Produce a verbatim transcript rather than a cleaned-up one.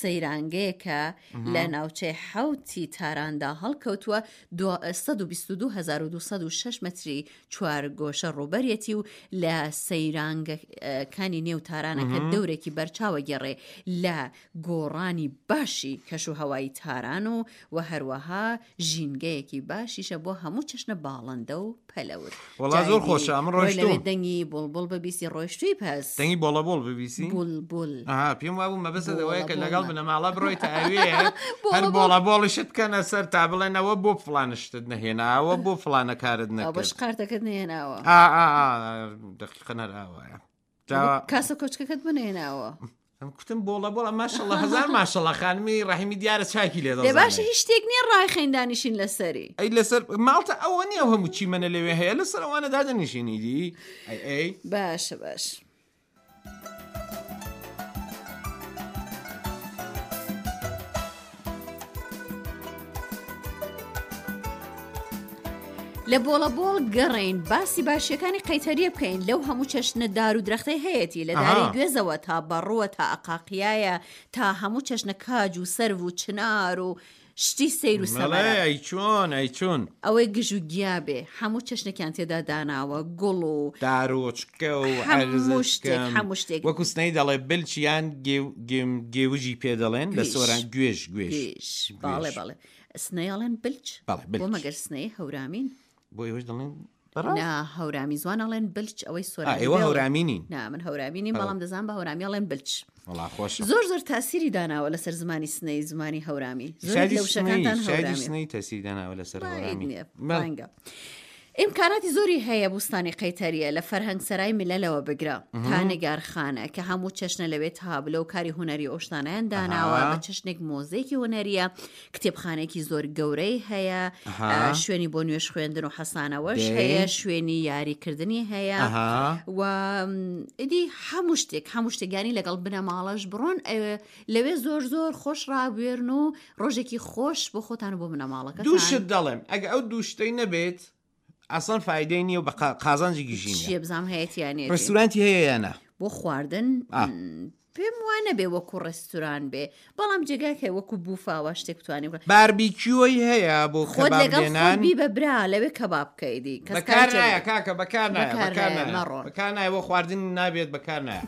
سەیرانگەیەکە لە ناوچەی حەوتی تاراندا هەڵکەوتووە، سەد و بیست و دوو هەزار و دوو سەد و شەش مەتری چوارگۆشە ڕووبەرێتی و لە سەیرانگەکانی نێو تارانە کە دەورێکی بەرچاوە گێڕێ لە گۆڕانی باشی کەش و هەوای تاران و و هەروەها ژینگەیەکی باشیشە بۆ هەموو چەشنە باڵندە و پەلەور. وەڵا زۆر خۆشە ئەمن ڕۆیشتووم. دەنگی بوڵبوڵ ببیسی ڕۆیشتووی پەس. دەنگی بۆڵەبۆڵ ببیسی؟ بولبول. ئەها پێم وابوو مەبەستت ئەوەیە کە لەگەڵ بنەماڵە بڕۆیتە ئەوێ هەر بۆڵەبۆڵیشت بکەنە سەر تا بڵێنەوە بۆ فڵانە شتت نەهێناوە بۆ فڵانە کارت نەکرد. بەش قارتەکەت نەهێناوە. ئا ئا ئا دەقیقەن هەر ئاوایە. کاسە کۆچکەکەت بنەهێناوە. ئەم کوتم بۆڵە بۆڵە ماشەڵڵا هەزار ماشەڵڵا خانمی ڕەحیمی دیارە چاکی لێ دەزانێ. باشە هیچ شتێک نییە ڕایخەین دانیشین لەسەری. ئەی لەسەر ماڵتە ئەوە نییە ئەو هەموو چیمەنە لەوێ هەیە لەسەر ئەوانە دادەنیشینی دی ئەی ئەی. باشە باش. لە بۆڵە بۆڵ گەڕین باسی باشیەکانی قەیتەریە بکەین لەو هەموو چەشنە دار و درەختەی هەیەتی لە داری گوێزەوە تا بەڕووە تا ئەقاقیایە تا هەموو چەشنە کاج و سەرو و چنار و شتی سەیر و سەمەرە. ئەی چۆن ئەی چۆن ئەوەی گژ و گیا بێ هەموو چەشنێکیان تێدا داناوە گوڵ و دارۆچکە و هەموو شتێک هەموو شتێک وەکو سنەی دەڵێ بلچ یان گێوژی پێ دەڵێن لە سۆران گوێژ گوێژ باڵێ باڵێ سنەی ئەڵێن بلچ بۆ مەگەر سنەی هەورامین بۆ ئێوەش دەڵێن نا هەورامی زوان ئەڵێن بلچ ئەوەی سۆرانی ئێوە هەورامی نین نا من هەورامی نیم بەڵام دەزانم بە هەورامی ئەڵێن بلچ وەڵا خۆشە زۆر زۆر تاسیری داناوە لەسەر زمانی سنەی زمانی هەورامی زۆر لە وشەکانتان هەورامی سنەی تەسیری داناوە لەسەر هەورامی ڕەنگە ئیمکاناتی زۆری هەیە بوستانی قەیتەریە لە فەرهەنگ سەرای میللەوە بگرە تا نگارخانە کە هەموو چەشنە لەوێ تابلۆ و کاری هونەری ئەو شتانەیان داناوە بە چەشنێک مۆزەیەکی هونەریە کتێبخانێکی زۆر گەورەی هەیە شوێنی بۆ نوێژ خوێندن و حەسانەوەش هەیە شوێنی یاریکردنی هەیە و ئیدی هەموو شتێک هەموو شتێکیانی لەگەڵ بنەماڵەش بڕۆن لەوێ زۆر زۆر خۆش ڕابوێرن و ڕۆژێکی خۆش بۆ خۆتان و بۆ بنەماڵەکەتان. دوو شت دەڵێم ئەگە ئەو دوو شتەی نەبێت ئەسڵەن فایدەی نییە و بە قازانجی گیژی نییە. چییە بزانم هەیەتی یان نیەتی؟ ڕێستورانتی هەیە یا نا؟ بۆ خواردن پێم وا نەبێ وەکو ڕێستوران بێ بەڵام جێگاک هەیە وەکو بوفاوە شتێک بتوانانی بکە. باربیکیۆی هەیە بۆ خۆت کەباب لەگەڵ خۆت لێنان؟ بی بە برا لەوێ کەباب بکەی دی کەس بەکار کاری نایە کاکە بەکار نایە بەکار بەکار نایە نایە مەڕۆن. بەکار نایە بۆ خواردن نابێت بەکار نایە.